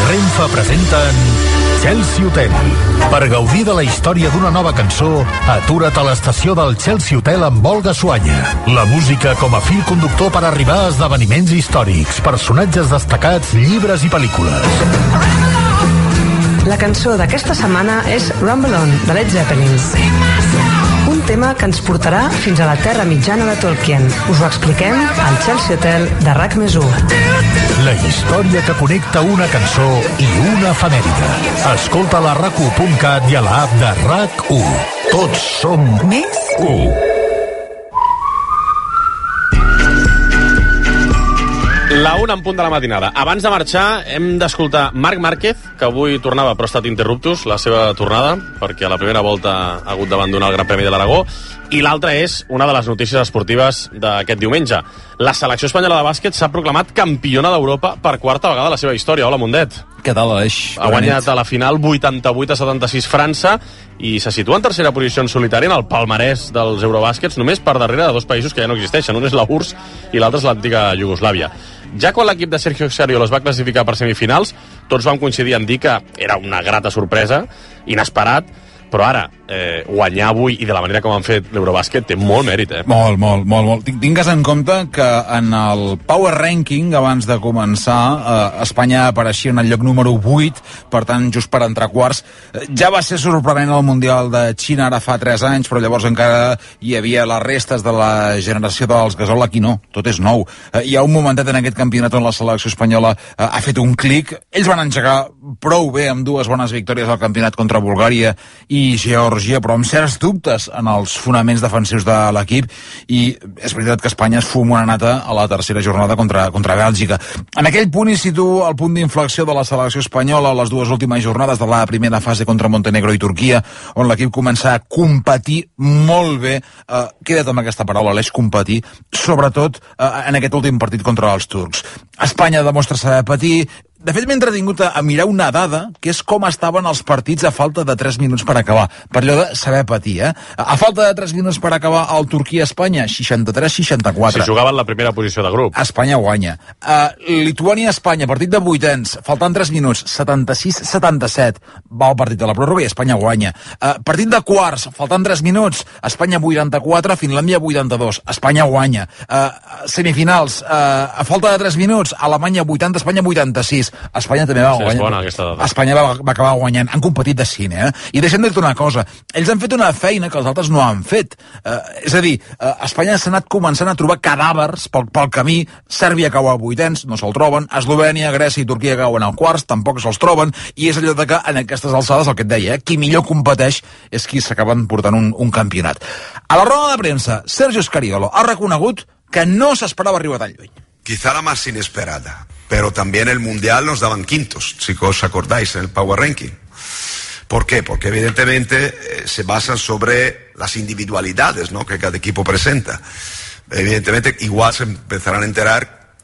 Renfe presenten Chelsea Hotel. Per gaudir de la història d'una nova cançó, atura't a l'estació del Chelsea Hotel amb Olga Suanya. La música com a fil conductor per arribar a esdeveniments històrics, personatges destacats, llibres i pel·lícules. La cançó d'aquesta setmana és Rumble On, de Led Zeppelin. Un tema que ens portarà fins a la Terra Mitjana de Tolkien. Us ho expliquem al Chelsea Hotel de RAC+1. La història que connecta una cançó i una efemèride. Escolta a la RAC1.cat i a l'app de RAC1. Tots som més 1. La 1 en punt de la matinada. Abans de marxar hem d'escoltar Marc Márquez, que avui tornava però ha estat interruptus la seva tornada, perquè a la primera volta ha hagut d'abandonar el Gran Premi de l'Aragó, i l'altra és una de les notícies esportives d'aquest diumenge. La selecció espanyola de bàsquet s'ha proclamat campiona d'Europa per quarta vegada a la seva història. Hola, Mundet. Què tal, Aleix? Ha guanyat a la final 88-76 França i se situa en tercera posició en solitari en el palmarès dels Eurobàsquets, només per darrere de dos països que ja no existeixen. Un és la URSS i l'altre és l'antiga Iugoslàvia. Ja quan l'equip de Sergio Scariolo es va classificar per semifinals, tots vam coincidir en dir que era una grata sorpresa, inesperat, però ara, guanyar avui i de la manera com han fet l'Eurobàsquet té molt mèrit, Molt. Tingues en compte que en el Power Ranking, abans de començar, Espanya apareixia en el lloc número 8, per tant, just per entrar quarts. Ja va ser sorprenent el Mundial de Xina ara fa 3 anys, però llavors encara hi havia les restes de la generació dels Gasol. Aquí no, tot és nou. Hi ha un momentet en aquest campionat on la selecció espanyola ha fet un clic. Ells van engegar prou bé amb 2 bones victòries al campionat contra Bulgària i Geòrgia, però amb certs dubtes en els fonaments defensius de l'equip, i és veritat que Espanya es fuma una nata a la tercera jornada contra Bèlgica. En aquell punt hi situa el punt d'inflexió de la selecció espanyola a les 2 últimes jornades de la primera fase contra Montenegro i Turquia, on l'equip comença a competir molt bé. Queda't amb aquesta paraula, Aleix, competir, sobretot en aquest últim partit contra els turcs. Espanya demostra saber patir. De fet, m'he entretingut a mirar una dada, que és com estaven els partits a falta de 3 minuts per acabar. Per allò de saber patir, A falta de 3 minuts per acabar el Turquia-Espanya, 63-64. Si jugaven la primera posició de grup. Espanya guanya. Lituània-Espanya, partit de vuitens, faltant 3 minuts, 76-77. Va el partit de la pròrroga i Espanya guanya. Partit de quarts, faltant 3 minuts, Espanya 84, Finlàndia 82. Espanya guanya. Semifinals, a falta de 3 minuts, Alemanya 80, Espanya 86. Espanya també va guanyar. És bona aquesta dada. Espanya va acabar guanyant. Han competit de cine, I deixem de dir una cosa. Ells han fet una feina que els altres no han fet. És a dir, Espanya s'ha anat començant a trobar cadàvers pel camí. Sèrbia cau a vuitens, no se'l troben. Eslovènia, Grècia i Turquia cauen al quarts, tampoc se'ls troben. I és allò de que en aquestes alçades, el que et deia, qui millor competeix és qui s'acaben portant un campionat. A la roda de premsa, Sergio Scariolo ha reconegut que no s'esperava arribar tan lluny. Quizá la más inesperada, pero también el Mundial nos daban quintos, si os acordáis, en el Power Ranking. ¿Por qué? Porque evidentemente se basan sobre las individualidades, ¿no?, que cada equipo presenta. Evidentemente igual se empezarán a enterar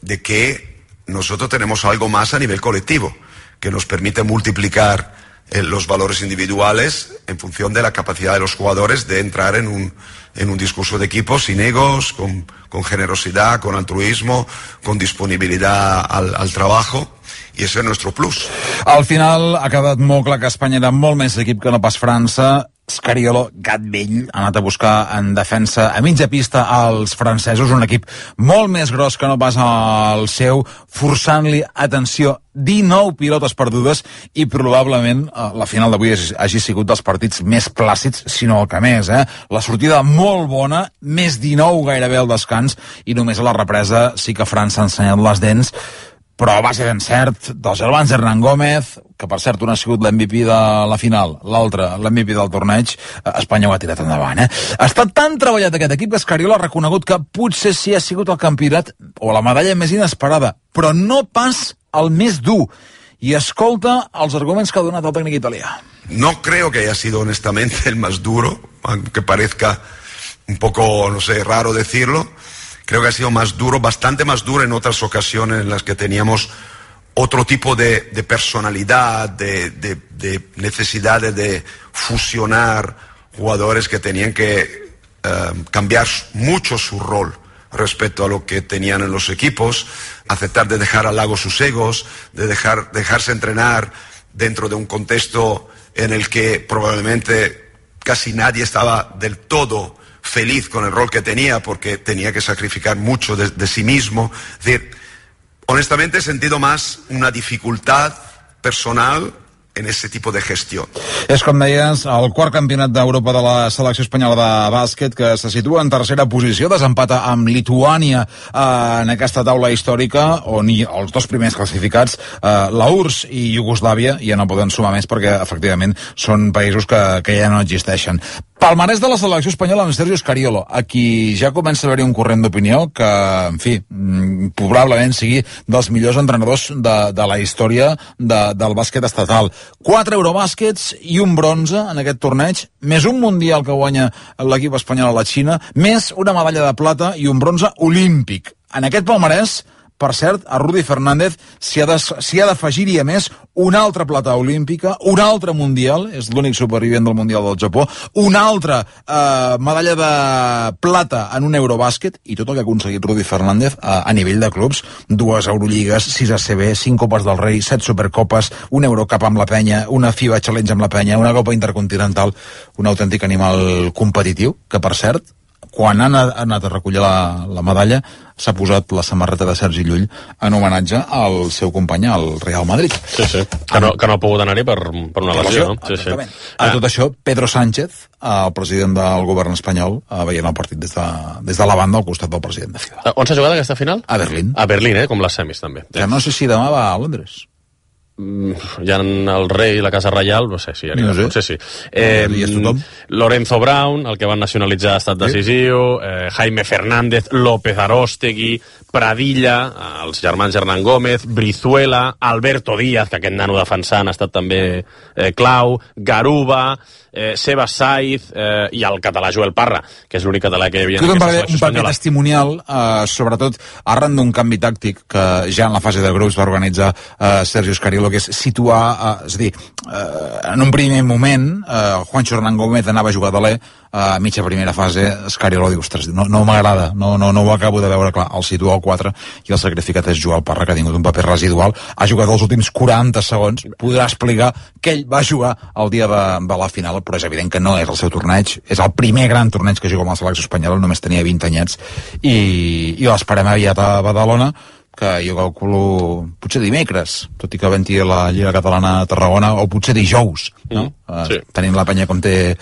de que nosotros tenemos algo más a nivel colectivo, que nos permite multiplicar los valores individuales en función de la capacidad de los jugadores de entrar en un discurso de equipo sin egos, con generosidad, con altruismo, con disponibilidad al trabajo, i ese és nuestro plus. Al final ha quedat molt clar que Espanya era molt més equip que no pas França. Scariolo, gat vell, ha anat a buscar en defensa a mitja pista als francesos, un equip molt més gros que no pas el seu, forçant-li, atenció, 19 pilotes perdudes, i probablement la final d'avui hagi sigut dels partits més plàcids, si no el que més, La sortida molt bona, més 19 gairebé al descans, i només a la represa sí que França ha ensenyat les dents, però a base d'encert dels germans Hernán Gómez, que per cert un ha sigut l'MVP de la final, l'altre l'MVP del torneig, Espanya ho ha tirat endavant. Ha estat tan treballat aquest equip que Scariolo ha reconegut que potser sí ha sigut el campionat o la medalla més inesperada, però no pas el més dur. I escolta els arguments que ha donat el tècnic italià. No creo que haya sido honestamente el más duro, aunque parezca un poco, no sé, raro decirlo. Creo que ha sido más duro, bastante más duro en otras ocasiones en las que teníamos otro tipo de personalidad, de necesidades de fusionar jugadores que tenían que cambiar mucho su rol respecto a lo que tenían en los equipos, aceptar de dejar al lado sus egos, de dejarse entrenar dentro de un contexto en el que probablemente casi nadie estaba del todo feliz con el rol que tenía porque tenía que sacrificar mucho de sí mismo. Es decir, honestamente he sentido más una dificultad personal en ese tipo de gestió. És, com deies, el quart campionat d'Europa de la selecció espanyola de bàsquet, que se situa en tercera posició, desempata amb Lituània en aquesta taula històrica, on els dos primers classificats, la URSS i Iugoslàvia, ja no poden sumar més perquè, efectivament, són països que ja no existeixen. Palmarès de la selecció espanyola amb Sergio Scariolo, a qui ja comença a haver-hi un corrent d'opinió que, en fi, probablement sigui dels millors entrenadors de la història del bàsquet estatal. 4 Eurobàsquets i un bronze en aquest torneig, més un mundial que guanya l'equip espanyol a la Xina, més una medalla de plata i un bronze olímpic. En aquest palmarès, per cert, a Rudy Fernández s'hi ha d'afegir-hi a més una altra plata olímpica, un altre mundial, és l'únic supervivent del mundial del Japó, una altra medalla de plata en un Eurobàsquet, i tot el que ha aconseguit Rudy Fernández a nivell de clubs, 2 Eurolligues, 6 ACB, 5 Copes del Rei, 7 Supercopes, un Eurocup amb la penya, una FIBA Challenge amb la penya, una Copa Intercontinental, un autèntic animal competitiu, que per cert, quan han anat a recollir la medalla, s'ha posat la samarreta de Sergi Llull en homenatge al seu company, al Real Madrid. Sí. Que no ha pogut anar-hi per una lesió, no? Sí. A tot això, Pedro Sánchez, el president del govern espanyol, veient el partit des de la banda al costat del president de FIBA. On s'ha jugat aquesta final? A Berlín. A Berlín, com les semis, també. Ja no sé si demà va a Londres. Ja en el rei i la casa reial, no sé si anirà, no sé. Potser sí. Lorenzo Brown, el que van nacionalitzar ha estat decisiu, Jaime Fernández, López Aróstegui, Pradilla, els germans Hernán Gómez, Brizuela, Alberto Díaz, que aquest nano defensant ha estat també clau, Garuba, Sebas Saiz i el català Joel Parra, que és l'únic català que hi havia en aquesta selecció espanyola. Un paper testimonial, sobretot arran d'un canvi tàctic que ja en la fase de grups va organitzar Sergio Scariolo, que és situar, és a dir, en un primer moment Juancho Hernán Gómez anava a jugar d'aler, a mitja primera fase Scariolo diu, ostres, no m'agrada, no ho acabo de veure clar, el situa al 4 i el sacrificat és Joel Parra, que ha tingut un paper residual, ha jugat els últims 40 segons, podrà explicar que ell va jugar el dia de la final, però és evident que no és el seu torneig, és el primer gran torneig que juga amb la selecció espanyola, només tenia 20 anyets i l'esperem aviat a Badalona, que jo calculo potser dimecres, tot i que venti la Lliga Catalana a Tarragona, o potser dijous, no? Sí. Tenint la penya com té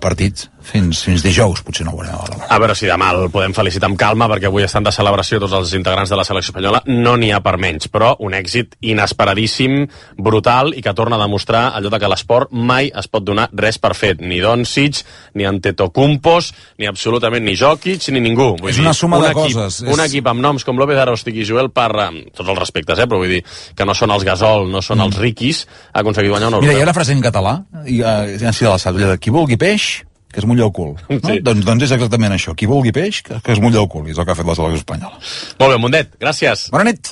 partits, fins dijous potser no ho veurem. A veure si demà el podem felicitar amb calma, perquè avui estan de celebració tots els integrants de la selecció espanyola, no n'hi ha per menys, però un èxit inesperadíssim, brutal, i que torna a demostrar allò de que l'esport mai es pot donar res per fet, ni Doncic, ni Antetokounmpos, ni absolutament ni Jokic, ni ningú. És una suma de coses. Un equip amb noms com López Aróstegui i Joel Parra, amb tots els respectes, però vull dir que no són els Gasol, no són els riquis, ha aconseguit guanyar un europeu. Mira, hi ha una frase en català, ja si la saps, qui vulgui peix, que es mulla el cul. No? Sí. Doncs és exactament això. Qui vulgui peix, que es mulla el cul. I és el que ha fet la selecció espanyola. Molt bé, Mundet, gràcies. Bona nit.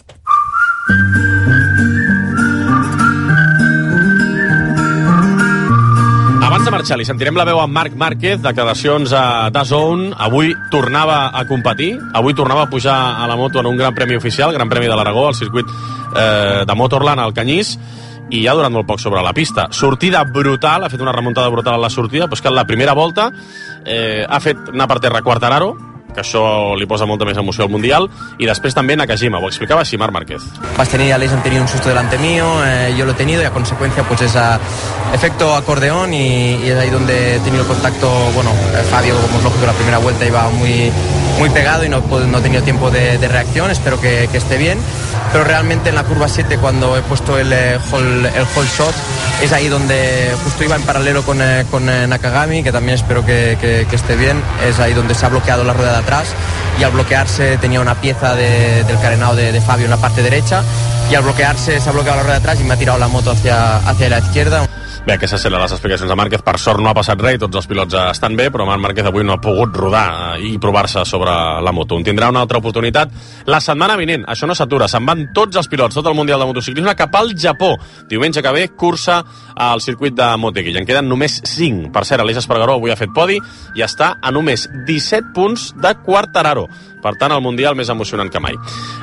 Abans de marxar, li sentirem la veu a Marc Márquez, declaracions a DAZN. Avui tornava a competir, avui tornava a pujar a la moto en un gran premi oficial, Gran Premi de l'Aragó, al circuit de Motorland, al Canyís, i ja durant molt poc sobre la pista. Sortida brutal, ha fet una remuntada brutal a la sortida, però és que en la primera volta ha fet anar per terra Quartararo, que això li posa molta més emoció al Mundial, i després també Nakajima, ho explicava així Marc Márquez. Vas tener, Aleix han tenido un susto delante mío, yo lo he tenido y a consecuencia pues ese efecto acordeón y es ahí donde he tenido contacto, bueno, Fabio, como es lógico, la primera vuelta iba muy pegado y no he tenido tiempo de reacción, espero que esté bien, pero realmente en la curva 7 cuando he puesto el hold shot es ahí donde justo iba en paralelo con Nakagami, que también espero que esté bien, es ahí donde se ha bloqueado la rueda de atrás y al bloquearse tenía una pieza del carenado de Fabio en la parte derecha y al bloquearse se ha bloqueado la rueda de atrás y me ha tirado la moto hacia la izquierda. Bé, aquestes eren les explicacions de Márquez. Per sort no ha passat res i tots els pilots estan bé, però Marc Márquez avui no ha pogut rodar i provar-se sobre la moto. En tindrà una altra oportunitat la setmana vinent. Això no s'atura. Se'n van tots els pilots, tot el Mundial de Motociclisme cap al Japó. Diumenge que ve, cursa al circuit de Motegi. I en queden només 5. Per cert, Aleix Espargaró avui ha fet podi i està a només 17 punts de Quartararo. Per tant, el Mundial més emocionant que mai.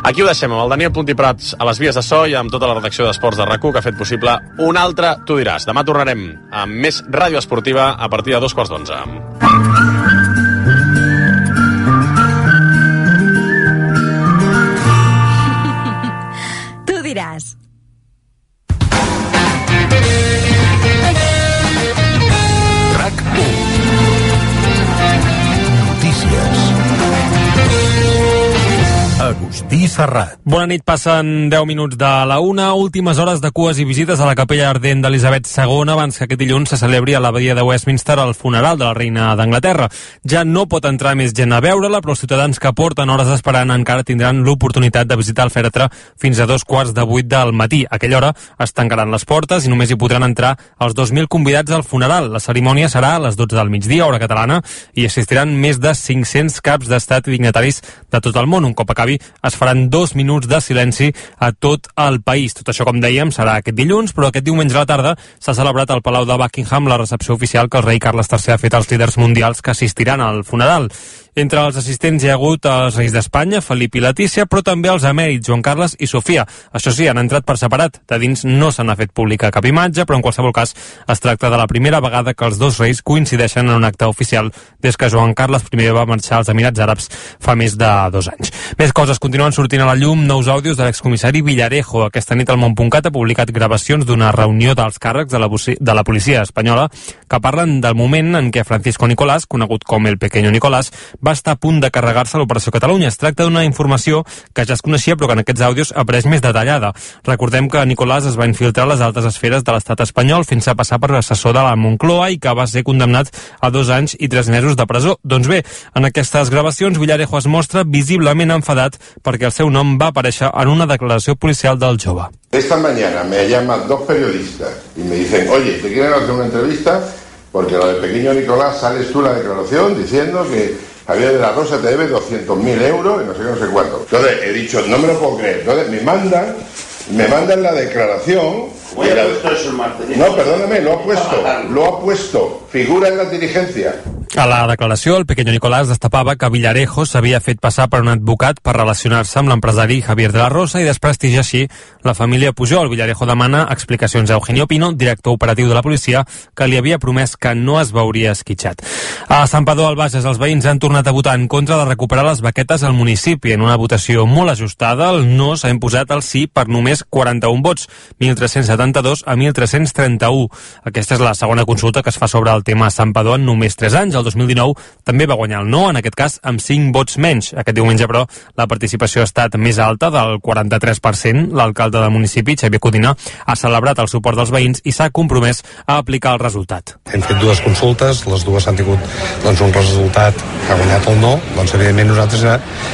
Aquí ho deixem amb el Daniel Puntiprats a les vies de so i amb tota la redacció d'Esports de RAC1 que ha fet possible un altre Tu diràs. Demà tornarem amb més ràdio esportiva a partir de 11:15. Tu diràs. RAC1. Notícies. Agustí Serrat. Bona nit, passen 10 minuts de la 1. Últimes hores de cues i visites a la capella ardent d'Elisabet II abans que aquest dilluns se celebri a l'abadia de Westminster el funeral de la reina d'Anglaterra. Ja no pot entrar més gent a veure-la, però els ciutadans que porten hores esperant encara tindran l'oportunitat de visitar el fèretre fins a 7:45 del matí. A aquella hora es tancaran les portes i només hi podran entrar els 2.000 convidats al funeral. La cerimònia serà a les 12 del migdia, hora catalana, i assistiran més de 500 caps d'estat i dignataris de tot el món. Un cop acabi es faran 2 minuts de silenci a tot el país. Tot això, com dèiem, serà aquest dilluns, però aquest diumenge a la tarda s'ha celebrat al Palau de Buckingham la recepció oficial que el rei Carles III ha fet als líders mundials que assistiran al funeral. Entre els assistents hi ha hagut els reis d'Espanya, Felip i Letícia, però també els emèrits Joan Carles i Sofia. Això sí, han entrat per separat. De dins no se n'ha fet pública cap imatge, però en qualsevol cas es tracta de la primera vegada que els dos reis coincideixen en un acte oficial des que Joan Carles I va marxar als Emirats Àrabs fa més de 2 anys. Més coses, continuen sortint a la llum nous àudios de l'excomissari Villarejo. Aquesta nit el Món.cat ha publicat gravacions d'una reunió dels càrrecs de la policia espanyola que parlen del moment en què Francisco Nicolás, conegut com el Pequeño Nicolás, va estar a punt de carregar-se l'Operació Catalunya. Es tracta d'una informació que ja es coneixia però que en aquests àudios ha pres més detallada. Recordem que Nicolás es va infiltrar a les altes esferes de l'estat espanyol fent-se passar per assessor de la Moncloa i que va ser condemnat a 2 anys i 3 mesos de presó. Doncs bé, en aquestes gravacions Villarejo es mostra visiblement enfadat perquè el seu nom va aparèixer en una declaració policial del jove. Esta mañana me llaman 2 periodistas y me dicen, oye, ¿te quieren hacer una entrevista? Porque lo del Pequeño Nicolás sales tú la declaración diciendo que Javier de la Rosa te debe 200.000 euros y no sé qué, no sé cuánto. Entonces he dicho, no me lo puedo creer. Entonces me mandan la declaración. ¿Cómo ha puesto eso el martes? No, perdóname, lo ha puesto. Figura en la diligencia. A la declaració, el Pequeño Nicolás destapava que Villarejo s'havia fet passar per un advocat per relacionar-se amb l'empresari Javier de la Rosa i desprestigiar així la família Pujol. Villarejo demana explicacions a Eugenio Pino, director operatiu de la policia, que li havia promès que no es veuria esquitxat. A Santpedor, al Bages, els veïns han tornat a votar en contra de recuperar les baquetes al municipi. En una votació molt ajustada, el no s'ha imposat el sí per només 41 vots, 1.372 a 1.331. Aquesta és la segona consulta que es fa sobre el tema a Santpedor en només 3 anys. El 2019 també va guanyar el no, en aquest cas amb 5 vots menys. Aquest diumenge, però, la participació ha estat més alta, del 43%. L'alcalde del municipi, Xavier Codina, ha celebrat el suport dels veïns i s'ha compromès a aplicar el resultat. Hem fet 2 consultes, les dues han tingut un resultat que ha guanyat el no. Evidentment nosaltres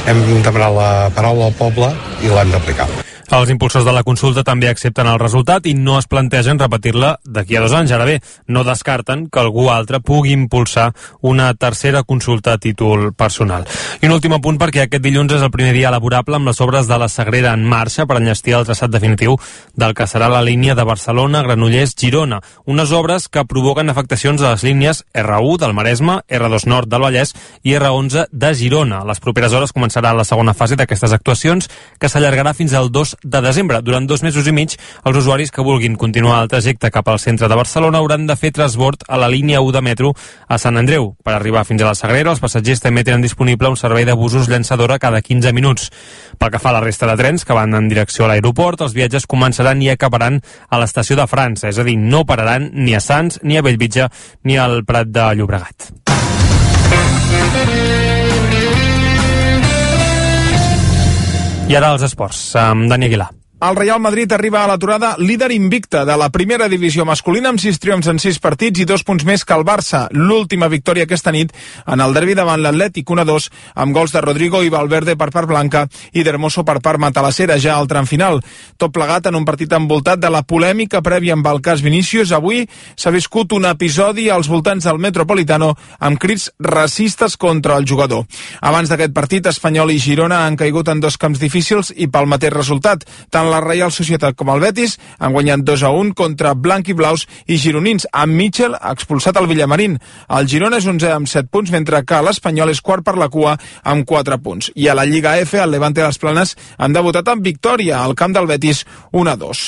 hem demanat la paraula al poble i l'hem d'aplicar. Els impulsors de la consulta també accepten el resultat i no es plantegen repetir-la d'aquí a 2 anys. Ara bé, no descarten que algú altre pugui impulsar una tercera consulta a títol personal. I un últim apunt, perquè aquest dilluns és el primer dia laborable amb les obres de la Sagrera en marxa per enllestir el traçat definitiu del que serà la línia de Barcelona, Granollers, Girona. Unes obres que provoquen afectacions a les línies R1 del Maresme, R2 Nord del Vallès i R11 de Girona. A les properes hores començarà la segona fase d'aquestes actuacions, que s'allargarà fins al 2 de desembre. Durant 2 mesos i mig, els usuaris que vulguin continuar el trajecte cap al centre de Barcelona hauran de fer transbord a la línia 1 de metro a Sant Andreu. Per arribar fins a la Sagrera, els passatgers també tenen disponible un servei de busos llançadora cada 15 minuts. Pel que fa a la resta de trens que van en direcció a l'aeroport, els viatges començaran i acabaran a l'estació de França, és a dir, no pararan ni a Sants, ni a Bellvitge, ni al Prat de Llobregat. I ara els esports, amb Dani Aguilar. El Real Madrid arriba a l'aturada líder invicte de la primera divisió masculina amb 6 triomfs en 6 partits i 2 punts més que el Barça. L'última victòria aquesta nit en el derbi davant l'Atlètic 1-2 amb gols de Rodrigo i Valverde per part blanca i d'Hermoso per part matalasera ja al tram final. Tot plegat en un partit envoltat de la polèmica prèvia amb el cas Vinícius. Avui s'ha viscut un episodi als voltants del Metropolitano amb crits racistes contra el jugador. Abans d'aquest partit, Espanyol i Girona han caigut en 2 camps difícils i pel mateix resultat. Tant la Reial Societat com el Betis han guanyat 2-1 contra blanc-i-blaus i gironins, amb Mitchell expulsat al Villamarín. El Girona és 11 amb 7 punts, mentre que l'Espanyol és quart per la cua amb 4 punts. I a la Lliga F, el Levante i les Planes han debutat amb victòria al camp del Betis 1-2.